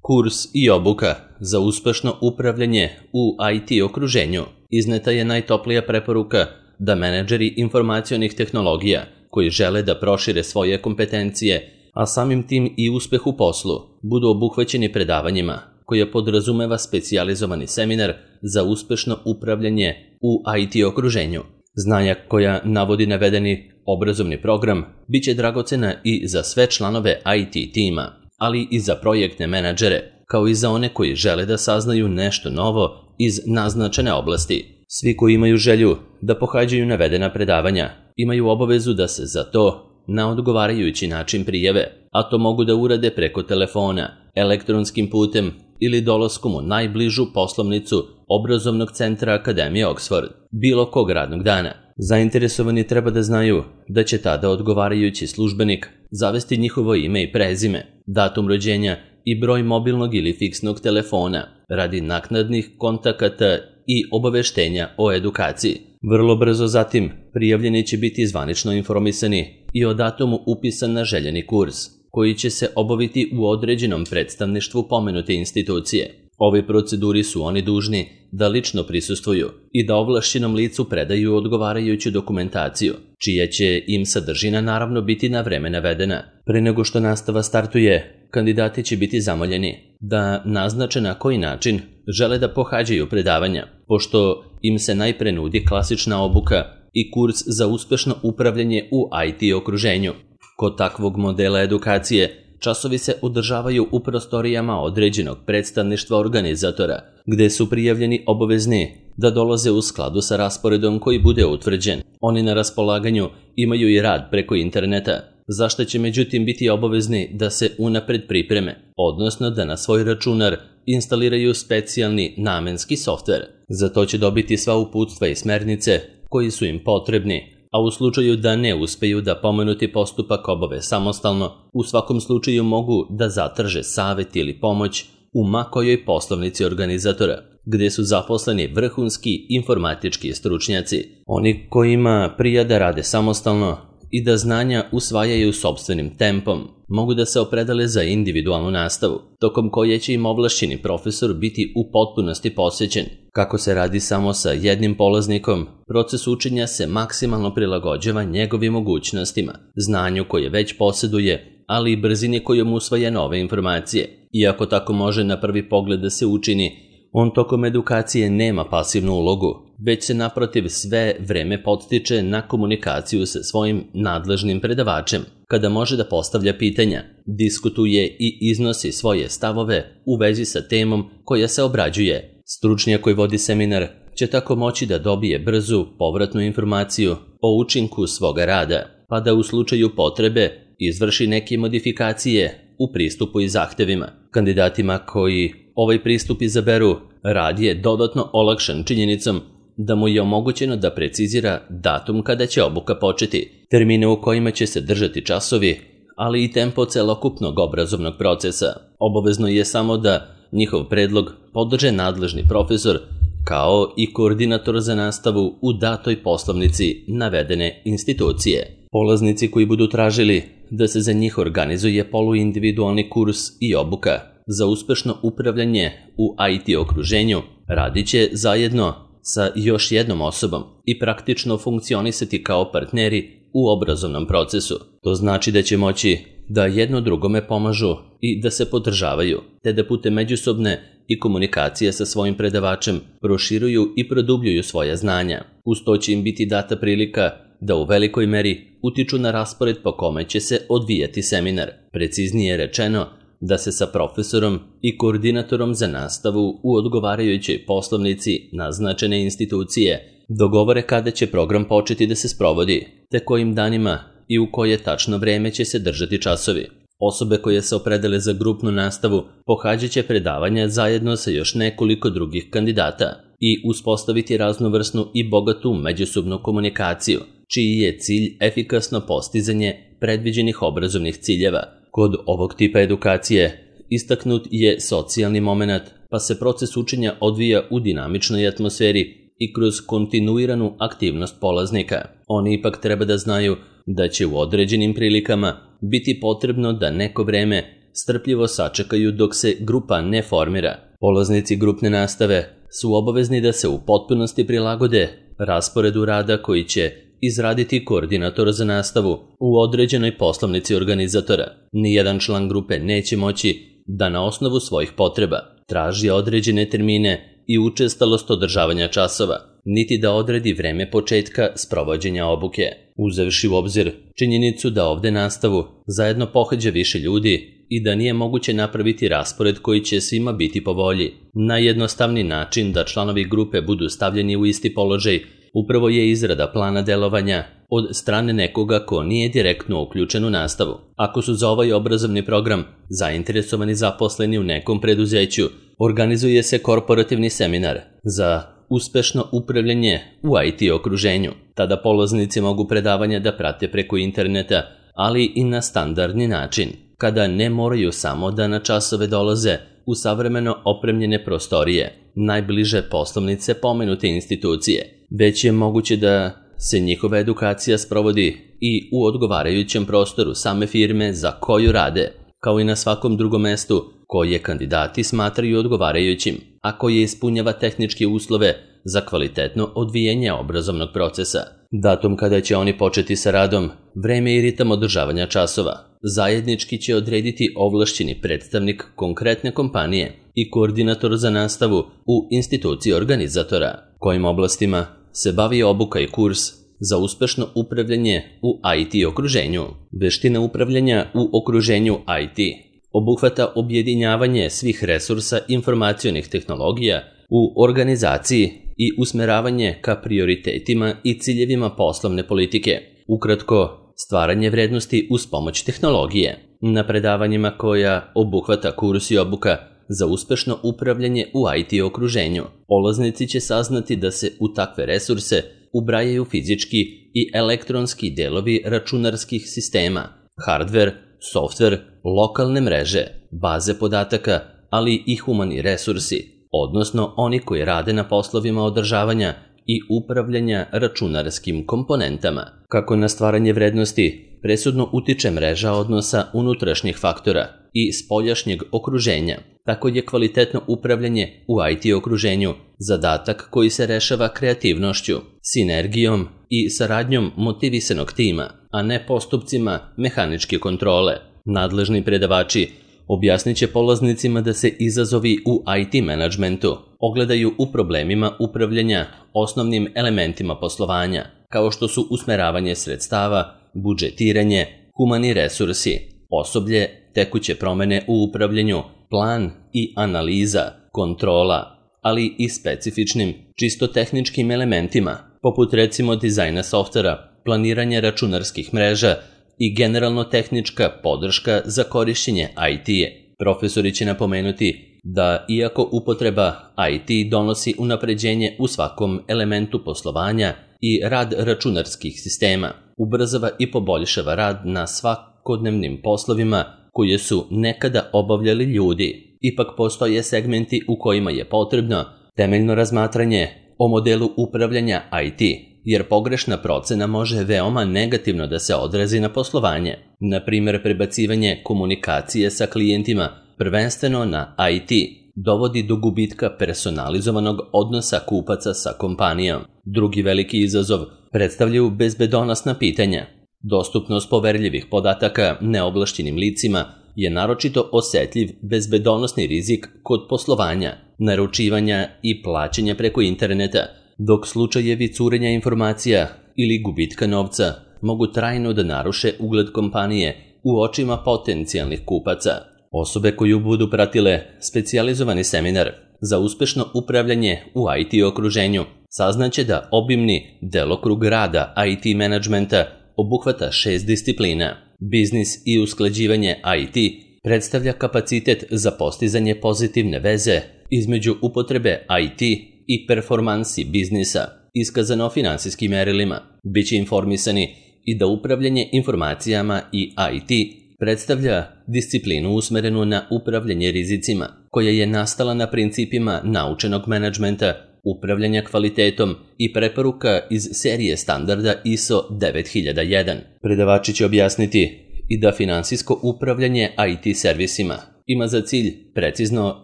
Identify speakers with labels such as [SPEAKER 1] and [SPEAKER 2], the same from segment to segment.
[SPEAKER 1] Kurs i obuka za uspešno upravljanje u IT okruženju izneta je najtoplija preporuka da menadžeri informacionih tehnologija koji žele da prošire svoje kompetencije, a samim tim i uspeh u poslu, budu obuhvaćeni predavanjima koje podrazumeva specijalizovani seminar za uspešno upravljanje u IT okruženju. Znanja koja navodi navedeni obrazovni program biće dragocena i za sve članove IT tima, ali i za projektne menadžere, kao i za one koji žele da saznaju nešto novo iz naznačene oblasti. Svi koji imaju želju da pohađaju navedena predavanja imaju obavezu da se za to na odgovarajući način prijave, a to mogu da urade preko telefona, elektronskim putem ili dolaskom u najbližu poslovnicu obrazovnog centra Akademije Oxford, bilo kog radnog dana. Zainteresovani treba da znaju da će tada odgovarajući službenik zavesti njihovo ime i prezime, datum rođenja i broj mobilnog ili fiksnog telefona radi naknadnih kontakata i obaveštenja o edukaciji. Vrlo brzo zatim prijavljeni će biti zvanično informisani i o datumu upisa na željeni kurs, koji će se obaviti u određenom predstavništvu pomenute institucije. Ove proceduri su oni dužni da lično prisustvuju i da ovlašćenom licu predaju odgovarajuću dokumentaciju, čija će im sadržina naravno biti na vreme navedena. Pre nego što nastava startuje, kandidati će biti zamoljeni da naznače na koji način žele da pohađaju predavanja, pošto im se najpre nudi klasična obuka i kurs za uspešno upravljanje u IT okruženju. Kod takvog modela edukacije časovi se održavaju u prostorijama određenog predstavništva organizatora, gde su prijavljeni obavezni da dolaze u skladu sa rasporedom koji bude utvrđen. Oni na raspolaganju imaju i rad preko interneta, za što će međutim biti obavezni da se unapred pripreme, odnosno da na svoj računar instaliraju specijalni namenski softver. Za to će dobiti sva uputstva i smernice koji su im potrebni, a u slučaju da ne uspeju da pomenuti postupak obave samostalno, u svakom slučaju mogu da zatraže savet ili pomoć u ma kojoj poslovnici organizatora, gde su zaposleni vrhunski informatički stručnjaci. Oni kojima prija da rade samostalno i da znanja usvajaju sopstvenim tempom, mogu da se opredele za individualnu nastavu, tokom koje će im ovlašćeni profesor biti u potpunosti posvećen. Kako se radi samo sa jednim polaznikom, proces učenja se maksimalno prilagođava njegovim mogućnostima, znanju koje već posjeduje, ali i brzini kojom usvaja nove informacije. Iako tako može na prvi pogled da se učini, on tokom edukacije nema pasivnu ulogu, već se naprotiv sve vreme podstiče na komunikaciju sa svojim nadležnim predavačem, kada može da postavlja pitanja, diskutuje i iznosi svoje stavove u vezi sa temom koja se obrađuje. Stručnjak koji vodi seminar će tako moći da dobije brzu povratnu informaciju o učinku svoga rada, pa da u slučaju potrebe izvrši neke modifikacije u pristupu i zahtevima. Kandidatima koji ovaj pristup izaberu, rad je dodatno olakšan činjenicom da mu je omogućeno da precizira datum kada će obuka početi, termine u kojima će se držati časovi, ali i tempo celokupnog obrazovnog procesa. Obavezno je samo da njihov predlog podrže nadležni profesor, kao i koordinator za nastavu u datoj poslovnici navedene institucije. Polaznici koji budu tražili da se za njih organizuje poluindividualni kurs i obuka za uspešno upravljanje u IT okruženju radit će zajedno sa još jednom osobom i praktično funkcionisati kao partneri u obrazovnom procesu. To znači da će moći da jedno drugome pomažu i da se podržavaju, te da putem međusobne i komunikacije sa svojim predavačem proširuju i produbljuju svoja znanja. Uz to će im biti data prilika da u velikoj meri utiču na raspored po kome će se odvijati seminar. Preciznije rečeno, da se sa profesorom i koordinatorom za nastavu u odgovarajućoj poslovnici naznačene institucije dogovore kada će program početi da se sprovodi, te kojim danima i u koje tačno vreme će se držati časovi. Osobe koje se opredele za grupnu nastavu pohađat će predavanja zajedno sa još nekoliko drugih kandidata i uspostaviti raznovrsnu i bogatu međusobnu komunikaciju, čiji je cilj efikasno postizanje predviđenih obrazovnih ciljeva. Kod ovog tipa edukacije istaknut je socijalni moment, pa se proces učenja odvija u dinamičnoj atmosferi i kroz kontinuiranu aktivnost polaznika. Oni ipak treba da znaju da će u određenim prilikama biti potrebno da neko vreme strpljivo sačekaju dok se grupa ne formira. Polaznici grupne nastave su obavezni da se u potpunosti prilagode rasporedu rada koji će izraditi koordinator za nastavu u određenoj poslovnici organizatora. Nijedan član grupe neće moći da na osnovu svojih potreba traži određene termine i učestalost održavanja časova, niti da odredi vreme početka sprovođenja obuke. Uzevši u obzir činjenicu da ovde nastavu zajedno pohađa više ljudi i da nije moguće napraviti raspored koji će svima biti po volji, najjednostavniji način da članovi grupe budu stavljeni u isti položaj upravo je izrada plana delovanja od strane nekoga ko nije direktno uključen u nastavu. Ako su za ovaj obrazovni program zainteresovani zaposleni u nekom preduzeću, organizuje se korporativni seminar za uspešno upravljanje u IT okruženju. Tada polaznici mogu predavanja da prate preko interneta, ali i na standardni način, kada ne moraju samo da na časove dolaze u savremeno opremljene prostorije, najbliže poslovnice pomenute institucije, već je moguće da se njihova edukacija sprovodi i u odgovarajućem prostoru same firme za koju rade, kao i na svakom drugom mestu koje kandidati smatraju odgovarajućim, a koje ispunjava tehničke uslove za kvalitetno odvijanje obrazovnog procesa. Datum kada će oni početi sa radom, vreme i ritam održavanja časova zajednički će odrediti ovlašćeni predstavnik konkretne kompanije i koordinator za nastavu u instituciji organizatora. Kojim oblastima se bavi obuka i kurs za uspešno upravljanje u IT okruženju? Veština upravljanja u okruženju IT obuhvata objedinjavanje svih resursa informacionih tehnologija u organizaciji i usmeravanje ka prioritetima i ciljevima poslovne politike. Ukratko, stvaranje vrednosti uz pomoć tehnologije. Na predavanjima koja obuhvata kurs i obuka za uspešno upravljanje u IT okruženju, polaznici će saznati da se u takve resurse ubrajaju fizički i elektronski delovi računarskih sistema, hardver, softver, lokalne mreže, baze podataka, ali i humani resursi, odnosno oni koji rade na poslovima održavanja i upravljanja računarskim komponentama. Kako na stvaranje vrednosti presudno utiče mreža odnosa unutrašnjih faktora i spoljašnjeg okruženja, tako je kvalitetno upravljanje u IT okruženju zadatak koji se rešava kreativnošću, sinergijom i saradnjom motivisanog tima, a ne postupcima mehaničke kontrole. Nadležni predavači objasnit će polaznicima da se izazovi u IT menadžmentu ogledaju u problemima upravljanja osnovnim elementima poslovanja, kao što su usmeravanje sredstava, budžetiranje, humani resursi, osoblje, tekuće promene u upravljanju, plan i analiza, kontrola, ali i specifičnim, čisto tehničkim elementima, poput recimo dizajna softvera, planiranja računarskih mreža i generalno tehnička podrška za korišćenje IT-e. Profesori će napomenuti da iako upotreba IT donosi unapređenje u svakom elementu poslovanja i rad računarskih sistema, ubrzava i poboljšava rad na svakodnevnim poslovima koje su nekada obavljali ljudi. Ipak postoje segmenti u kojima je potrebno temeljno razmatranje o modelu upravljanja IT, jer pogrešna procena može veoma negativno da se odrazi na poslovanje. Na primjer, prebacivanje komunikacije sa klijentima prvenstveno na IT dovodi do gubitka personalizovanog odnosa kupaca sa kompanijom. Drugi veliki izazov predstavljaju bezbedonosna pitanja. Dostupnost poverljivih podataka neovlašćenim licima je naročito osetljiv bezbedonosni rizik kod poslovanja, naručivanja i plaćanja preko interneta, dok slučajevi curenja informacija ili gubitka novca mogu trajno da naruše ugled kompanije u očima potencijalnih kupaca. Osobe koju budu pratile specijalizovani seminar za uspešno upravljanje u IT okruženju saznaće da obimni delokrug rada IT menadžmenta obuhvata 6 disciplina. Biznis i usklađivanje IT predstavlja kapacitet za postizanje pozitivne veze između upotrebe IT i performansi biznisa, iskazano finansijskim merilima. Biće informisani i da upravljanje informacijama i IT predstavlja disciplinu usmerenu na upravljanje rizicima, koja je nastala na principima naučenog menadžmenta, upravljanja kvalitetom i preporuka iz serije standarda ISO 9001. Predavači će objasniti i da finansijsko upravljanje IT servisima ima za cilj precizno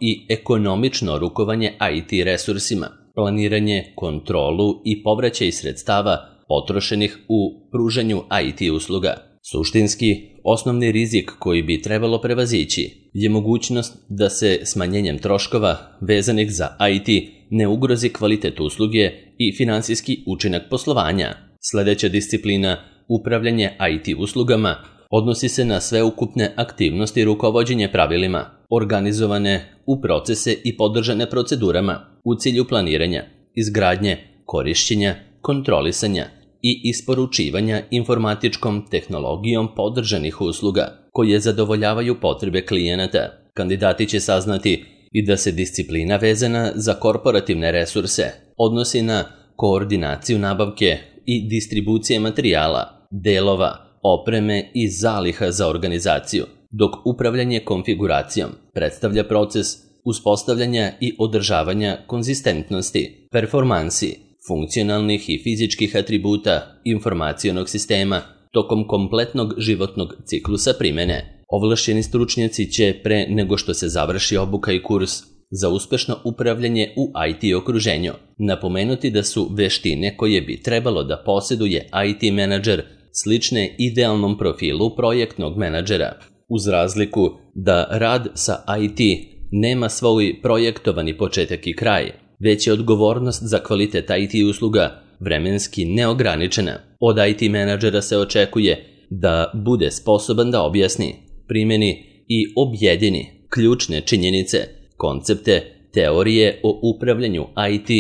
[SPEAKER 1] i ekonomično rukovanje IT resursima, planiranje, kontrolu i povraćaj sredstava potrošenih u pružanju IT usluga. Suštinski, osnovni rizik koji bi trebalo prevazići je mogućnost da se smanjenjem troškova vezanih za IT ne ugrozi kvalitet usluge i finansijski učinak poslovanja. Sledeća disciplina, upravljanje IT uslugama, odnosi se na sveukupne aktivnosti rukovođenja pravilima, organizovane u procese i podržane procedurama u cilju planiranja, izgradnje, korišćenja, kontrolisanja i isporučivanja informatičkom tehnologijom podržanih usluga koje zadovoljavaju potrebe klijenata. Kandidati će saznati i da se disciplina vezana za korporativne resurse odnosi na koordinaciju nabavke i distribucije materijala, delova, opreme i zaliha za organizaciju, dok upravljanje konfiguracijom predstavlja proces uspostavljanja i održavanja konzistentnosti, performansi, funkcionalnih i fizičkih atributa informacionog sistema tokom kompletnog životnog ciklusa primene. Ovlašćeni stručnjaci će pre nego što se završi obuka i kurs za uspešno upravljanje u IT okruženju napomenuti da su veštine koje bi trebalo da posjeduje IT menadžer slične idealnom profilu projektnog menadžera, uz razliku da rad sa IT nema svoj projektovani početak i kraj, već je odgovornost za kvalitet IT usluga vremenski neograničena. Od IT menadžera se očekuje da bude sposoban da objasni, primeni i objedini ključne činjenice, koncepte, teorije o upravljanju IT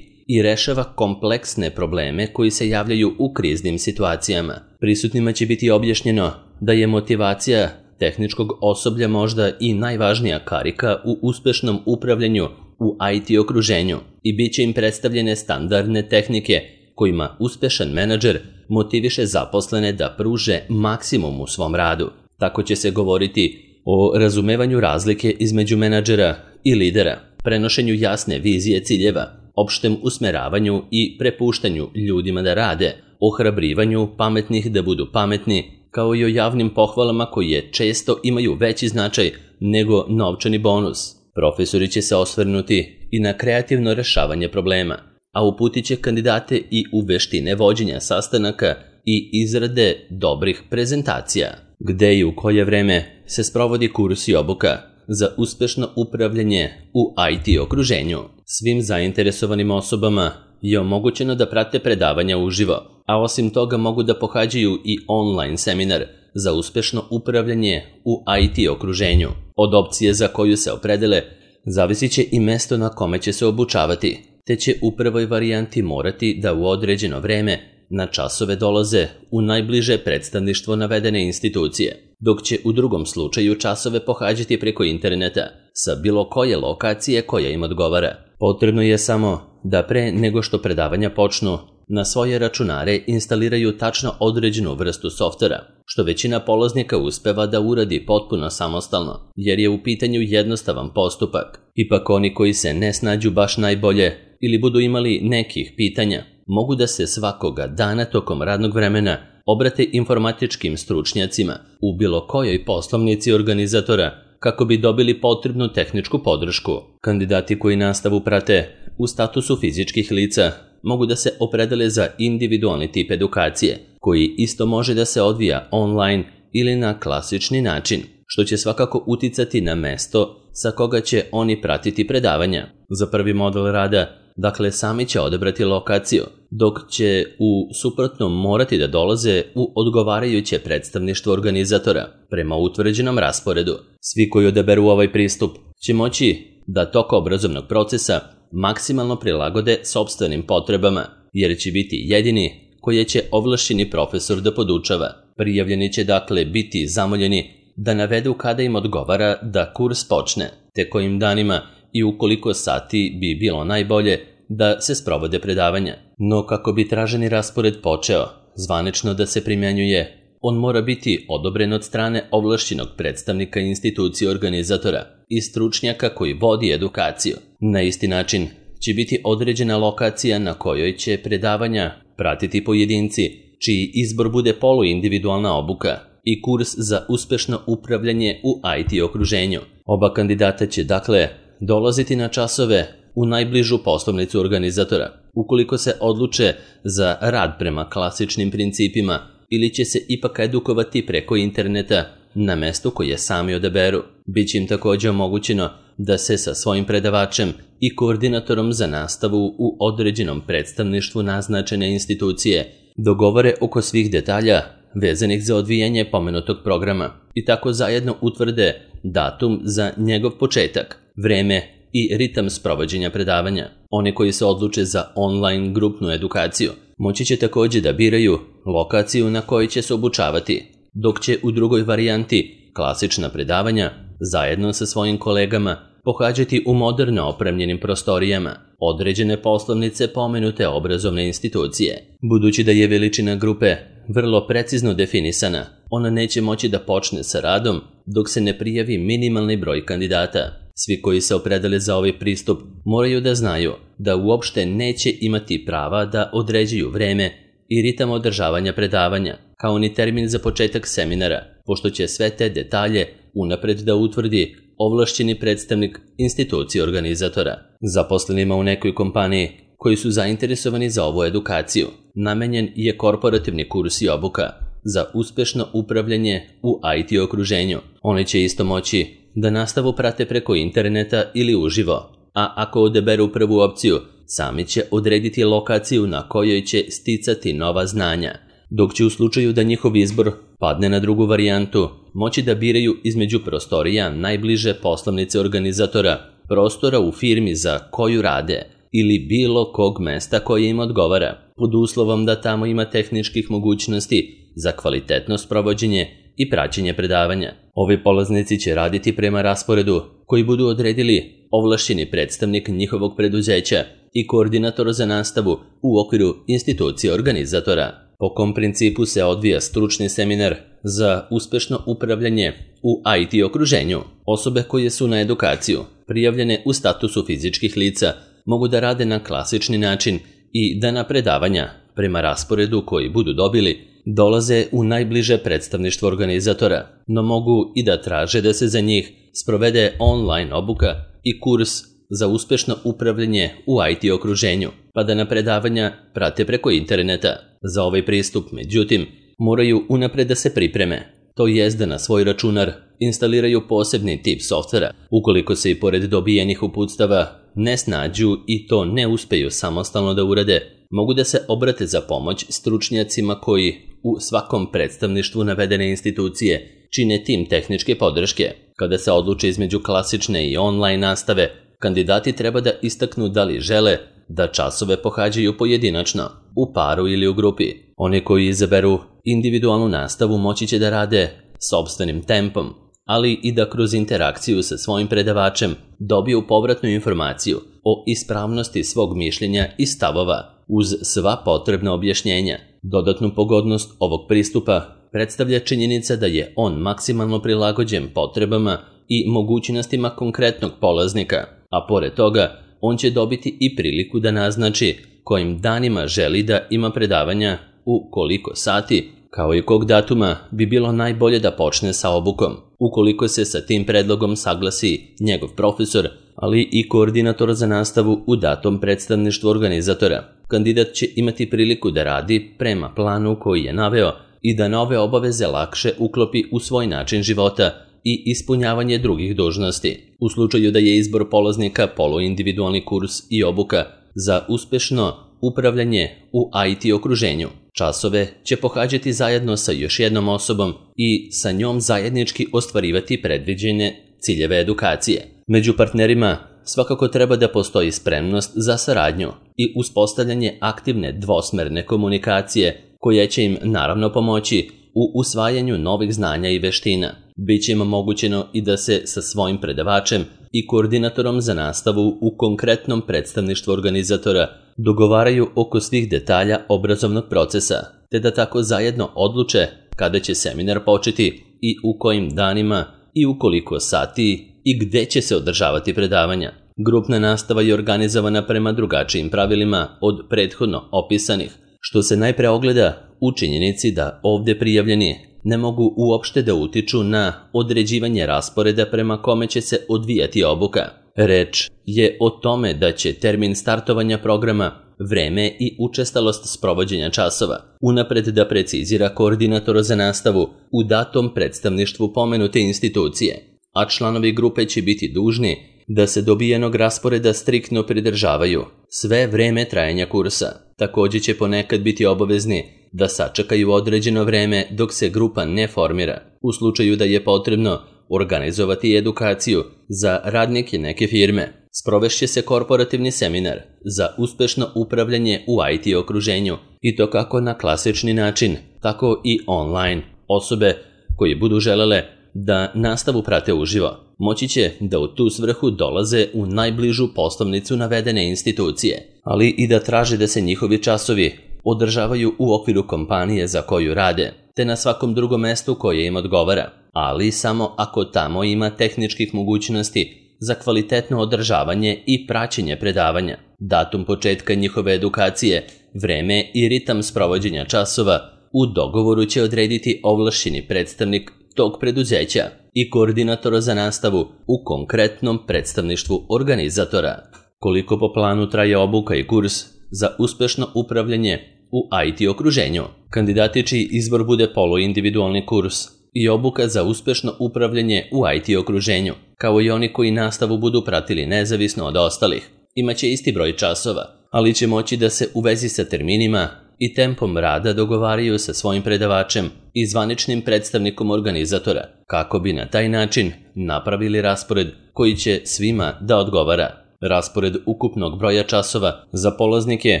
[SPEAKER 1] i rešava kompleksne probleme koji se javljaju u kriznim situacijama. Prisutnima će biti objašnjeno da je motivacija tehničkog osoblja možda i najvažnija karika u uspešnom upravljanju u IT okruženju i bit će im predstavljene standardne tehnike kojima uspešan menadžer motiviše zaposlene da pruže maksimum u svom radu. Tako će se govoriti o razumevanju razlike između menadžera i lidera, prenošenju jasne vizije ciljeva, opštem usmeravanju i prepuštanju ljudima da rade, ohrabrivanju pametnih da budu pametni, kao i o javnim pohvalama koje često imaju veći značaj nego novčani bonus. Profesori će se osvrnuti i na kreativno rešavanje problema, a uputit će kandidate i u veštine vođenja sastanaka i izrade dobrih prezentacija. Gde i u koje vreme se sprovodi kurs i obuka za uspešno upravljanje u IT okruženju. Svim zainteresovanim osobama je omogućeno da prate predavanja uživo, a osim toga mogu da pohađaju i online seminar za uspešno upravljanje u IT okruženju. Od opcije za koju se opredele zavisit će i mesto na kome će se obučavati, te će u prvoj varijanti morati da u određeno vreme na časove dolaze u najbliže predstavništvo navedene institucije, dok će u drugom slučaju časove pohađati preko interneta sa bilo koje lokacije koja im odgovara. Potrebno je samo da pre nego što predavanja počnu na svoje računare instaliraju tačno određenu vrstu softvera, što većina polaznika uspeva da uradi potpuno samostalno, jer je u pitanju jednostavan postupak. Ipak oni koji se ne snađu baš najbolje ili budu imali nekih pitanja, mogu da se svakoga dana tokom radnog vremena obrate informatičkim stručnjacima u bilo kojoj poslovnici organizatora kako bi dobili potrebnu tehničku podršku. Kandidati koji nastavu prate u statusu fizičkih lica mogu da se opredele za individualni tip edukacije, koji isto može da se odvija online ili na klasični način, što će svakako uticati na mesto sa koga će oni pratiti predavanja. Za prvi model rada, dakle, sami će odabrati lokaciju, dok će u suprotnom morati da dolaze u odgovarajuće predstavništvo organizatora prema utvrđenom rasporedu. Svi koji odaberu ovaj pristup će moći da tok obrazovnog procesa maksimalno prilagode sopstvenim potrebama, jer će biti jedini koje će ovlašćeni profesor da podučava. Prijavljeni će dakle biti zamoljeni da navedu kada im odgovara da kurs počne, te kojim danima i u koliko sati bi bilo najbolje da se sprovode predavanja. No kako bi traženi raspored počeo zvanično da se primjenjuje, on mora biti odobren od strane ovlašćenog predstavnika institucije organizatora i stručnjaka koji vodi edukaciju. Na isti način će biti određena lokacija na kojoj će predavanja pratiti pojedinci, čiji izbor bude poluindividualna obuka i kurs za uspešno upravljanje u IT okruženju. Oba kandidata će, dakle, dolaziti na časove u najbližu poslovnicu organizatora, ukoliko se odluče za rad prema klasičnim principima ili će se ipak edukovati preko interneta na mestu koje sami odaberu. Biće im također omogućeno da se sa svojim predavačem i koordinatorom za nastavu u određenom predstavništvu naznačene institucije dogovore oko svih detalja vezanih za odvijanje pomenutog programa i tako zajedno utvrde datum za njegov početak, vreme i ritam sprovođenja predavanja. Oni koji se odluče za online grupnu edukaciju moći će također da biraju lokaciju na kojoj će se obučavati, dok će u drugoj varijanti klasična predavanja zajedno sa svojim kolegama pohađati u moderno opremljenim prostorijama određene poslovnice pomenute obrazovne institucije. Budući da je veličina grupe vrlo precizno definisana, ona neće moći da počne sa radom dok se ne prijavi minimalni broj kandidata. Svi koji se opredele za ovaj pristup moraju da znaju da uopšte neće imati prava da određuju vreme i ritam održavanja predavanja, kao ni termin za početak seminara, pošto će sve te detalje unapred da utvrdi ovlašćeni predstavnik institucije organizatora. Zaposlenima u nekoj kompaniji koji su zainteresovani za ovu edukaciju namenjen je korporativni kurs i obuka za uspešno upravljanje u IT okruženju. Oni će isto moći da nastavu prate preko interneta ili uživo, a ako odaberu prvu opciju, sami će odrediti lokaciju na kojoj će sticati nova znanja, dok će u slučaju da njihov izbor padne na drugu varijantu, moći da biraju između prostorija najbliže poslovnice organizatora, prostora u firmi za koju rade ili bilo kog mesta koje im odgovara, pod uslovom da tamo ima tehničkih mogućnosti za kvalitetno sprovođenje i praćenje predavanja. Ovi polaznici će raditi prema rasporedu koji budu odredili ovlašćeni predstavnik njihovog preduzeća i koordinator za nastavu u okviru institucije organizatora. Po kom principu se odvija stručni seminar za uspešno upravljanje u IT okruženju? Osobe koje su na edukaciju prijavljene u statusu fizičkih lica mogu da rade na klasični način i da na predavanja prema rasporedu koji budu dobili dolaze u najbliže predstavništvo organizatora, no mogu i da traže da se za njih sprovede online obuka i kurs za uspešno upravljanje u IT okruženju, pa da na predavanja prate preko interneta. Za ovaj pristup, međutim, moraju unapred da se pripreme, to jest da na svoj računar instaliraju posebni tip softvera. Ukoliko se i pored dobijenih uputstava ne snađu i to ne uspeju samostalno da urade, mogu da se obrate za pomoć stručnjacima koji u svakom predstavništvu navedene institucije čine tim tehničke podrške. Kada se odluče između klasične i online nastave, kandidati treba da istaknu da li žele da časove pohađaju pojedinačno, u paru ili u grupi. Oni koji izaberu individualnu nastavu moći će da rade sopstvenim tempom, ali i da kroz interakciju sa svojim predavačem dobiju povratnu informaciju o ispravnosti svog mišljenja i stavova uz sva potrebna objašnjenja. Dodatnu pogodnost ovog pristupa predstavlja činjenica da je on maksimalno prilagođen potrebama i mogućnostima konkretnog polaznika, a pored toga on će dobiti i priliku da naznači kojim danima želi da ima predavanja, u koliko sati, kao i kog datuma bi bilo najbolje da počne sa obukom. Ukoliko se sa tim predlogom saglasi njegov profesor, ali i koordinator za nastavu u datom predstavništvu organizatora, kandidat će imati priliku da radi prema planu koji je naveo i da nove obaveze lakše uklopi u svoj način života i ispunjavanje drugih dužnosti. U slučaju da je izbor polaznika poluindividualni kurs i obuka za uspešno upravljanje u IT okruženju, časove će pohađati zajedno sa još jednom osobom i sa njom zajednički ostvarivati predviđene ciljeve edukacije. Među partnerima svakako treba da postoji spremnost za saradnju i uspostavljanje aktivne dvosmerne komunikacije koja će im naravno pomoći u usvajanju novih znanja i veština. Biće im omogućeno i da se sa svojim predavačem i koordinatorom za nastavu u konkretnom predstavništvu organizatora dogovaraju oko svih detalja obrazovnog procesa, te da tako zajedno odluče kada će seminar početi i u kojim danima i u koliko sati i gde će se održavati predavanja. Grupna nastava je organizovana prema drugačijim pravilima od prethodno opisanih, što se najpre ogleda u činjenici da ovdje prijavljeni ne mogu uopšte da utiču na određivanje rasporeda prema kome će se odvijati obuka. Reč je o tome da će termin startovanja programa, vreme i učestalost sprovođenja časova unapred da precizira koordinator za nastavu u datom predstavništvu pomenute institucije, a članovi grupe će biti dužni da se dobijenog rasporeda striktno pridržavaju sve vreme trajanja kursa. Također će ponekad biti obavezni da sačekaju određeno vreme dok se grupa ne formira. U slučaju da je potrebno organizovati edukaciju za radnike neke firme, sprovešće se korporativni seminar za uspešno upravljanje u IT okruženju i to kako na klasični način, tako i online. Osobe koje budu želele da nastavu prate uživo moći će da u tu svrhu dolaze u najbližu poslovnicu navedene institucije, ali i da traže da se njihovi časovi održavaju u okviru kompanije za koju rade, te na svakom drugom mestu koje im odgovara, ali samo ako tamo ima tehničkih mogućnosti za kvalitetno održavanje i praćenje predavanja. Datum početka njihove edukacije, vreme i ritam sprovođenja časova u dogovoru će odrediti ovlašćeni predstavnik tog preduzeća i koordinator za nastavu u konkretnom predstavništvu organizatora. Koliko po planu traje obuka i kurs za uspešno upravljanje u IT okruženju? Kandidati čiji izbor bude poluindividualni kurs i obuka za uspešno upravljanje u IT okruženju, kao i oni koji nastavu budu pratili nezavisno od ostalih, imaće isti broj časova, ali će moći da se u vezi sa terminima i tempom rada dogovaraju sa svojim predavačem i zvaničnim predstavnikom organizatora, kako bi na taj način napravili raspored koji će svima da odgovara. Raspored ukupnog broja časova za polaznike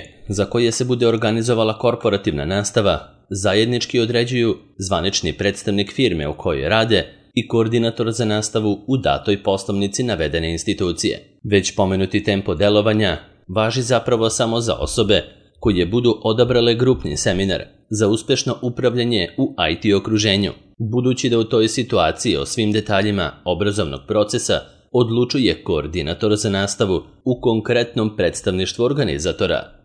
[SPEAKER 1] za koje se bude organizovala korporativna nastava zajednički određuju zvanični predstavnik firme u kojoj rade i koordinator za nastavu u datoj poslovnici navedene institucije. Već pomenuti tempo delovanja važi zapravo samo za osobe koje budu odabrale grupni seminar za uspešno upravljanje u IT okruženju, budući da u toj situaciji o svim detaljima obrazovnog procesa odlučuje koordinator za nastavu u konkretnom predstavništvu organizatora.